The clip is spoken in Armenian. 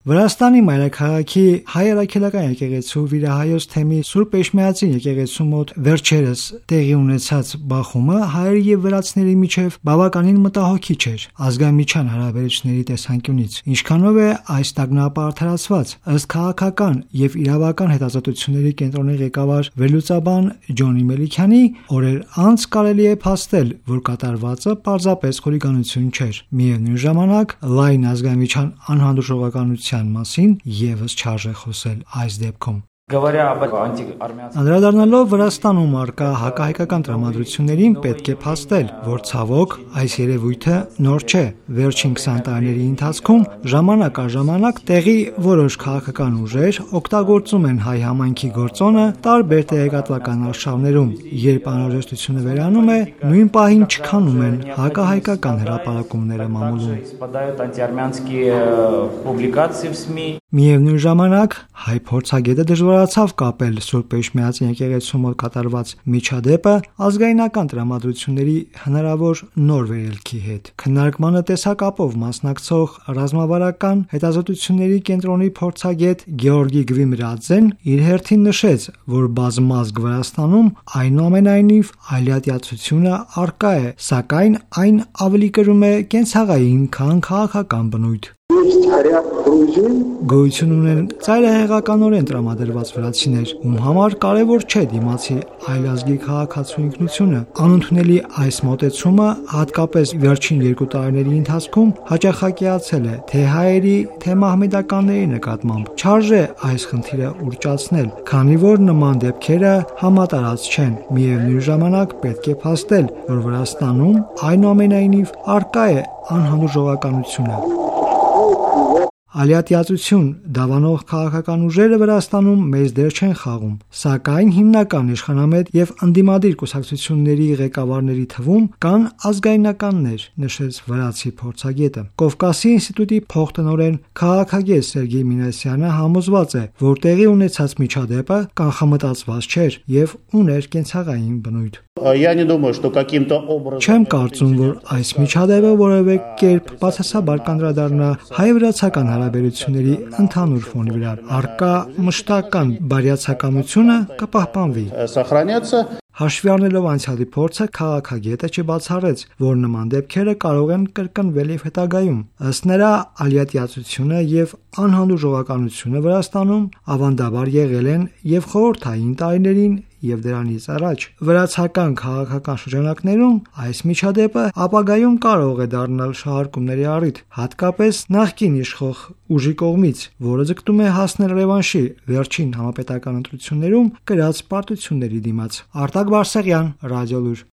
Վրաստանի մայրաքաղաքի հայ առաքելական եկեղեցու վիրահայոց թեմի Սուրբ Էշմիածին եկեղեցու մոտ վերջերս տեղի ունեցած բախումը հայերի եւ վրացիների միջև բավականին մտահոգիչ էր ազգամիջյան հարաբերությունների տեսանկյունից, ինչքանով է այս տագնապը արդարացված։ Ըստ քաղաքական եւ իրավական հետազոտությունների կենտրոնի ղեկավար վերլուծաբան Ջոնի Մելիքյանի, օրեր անց կարելի է փաստել, որ կատարվածը պարզապես խուլիգանություն չէր։ Միևնույն ժամանակ լայն ազգամիջյան անհանդուրժողականության մասին եւս չարժե խոսել այս դեպքում։ Անդրադառնալով Վրաստանում առկա հակահայկական տրամադրություններին, պետք է փաստել, որ ցավոք այս երևույթը նոր չէ։ Վերջին 20 տարիների ընթացքում ժամանակ առ ժամանակ տեղի որոշ քաղաքական ուժեր օգտագործում են հայ համայնքի գործոնը տարբեր տեղեկատվական արշավներում, երբ անհրաժեշտությունը վերանում է, նույն պահին չքանում են հակահայկական հրապարակումները մամուլում։ Միևնույն ժամանակ հայ փորձագետը դժվարացավ կապել Սուրբ Էշմիածին եկեղեցու մոտ կատարված միջադեպը ազգայնական տրամադրությունների հնարավոր նոր վերելքի հետ։ Քննարկմանը տեսակապով մասնակցող ռազմավարական հետազոտությունների կենտրոնի փորձագետ Գեորգի Գվիմրաձեն իր հերթին նշեց, որ բազմազգ Վրաստանում այնուամենայնիվ այլատյացությունը առկա է, սակայն այն ավելի կրում է կենցաղային, քան քաղաքական բնույթ։ Գոյություն ունեն ծայրահեղականորեն տրամադրված վրացիներ, ում համար կարևոր չէ դիմացի այլազգի քաղաքացու ինքնությունը։ Անընդունելի այս մոտեցումը հատկապես վերջին 2 տարիների ընթացքում հաճախակիացել է թե հայերի, թե մահմեդականների նկատմամբ։ Չարժե այս խնդիրը ուռճացնել, քանի որ նման դեպքերը համատարած չեն։ Միևնույն ժամանակ պետք է փաստել, որ Վրաստանում այնուամենայնիվ առկա է անհանդուրժողականությունը։ Ալիատիացություն դավանող քաղաքական ուժերը Վրաստանում մեծ դեր չեն խաղում, սակայն հիմնական իշխանամետ եւ ընդդիմադիր կուսակցությունների ղեկավարների թվում կան ազգայնականներ, նշեց վրացի փորձագետը։ Կովկասի ինստիտուտի փոխտնօրեն քաղաքագետ Սերգեյ Մինասյանը համոզված է, որ տեղի ունեցած միջադեպը կանխամտածված չէր եւ ուներ կենցաղային բնույթ։ Չեմ կարծում, որ այս միջադեպը որևէ կերպ բացասաբար կանդրադառնա հայ-վրացական հարաբերությունների ընդհանուր ֆոնի վրա։ Առկա մշտական բարյացակամությունը կպահպանվի։ Հաշվի առնելով անցյալի փորձը, քաղաքագետը չբացառեց, որ նման դեպքերը կարող են կրկնվել եւ հետագայում։ Ըստ նրա, ալիատիացությունը եւ անհանդուրժողականությունը Վրաստանում ավանդաբար եղել են եւ խորհրդային տարիներին եւ դրանից առաջ։ Վրացական քաղաքական շրջանակներում այս միջադեպը ապագայում կարող է դառնալ շահարկումների առիթ, հատկապես նախկին իշխող ուժի կողմից, որը ձգտում է հասնել ռևանշի վերջին համապետական ընտրություններում կրած պարտությունների դիմաց։ Արտակ Բարսեղյան, Ռադիոլուր։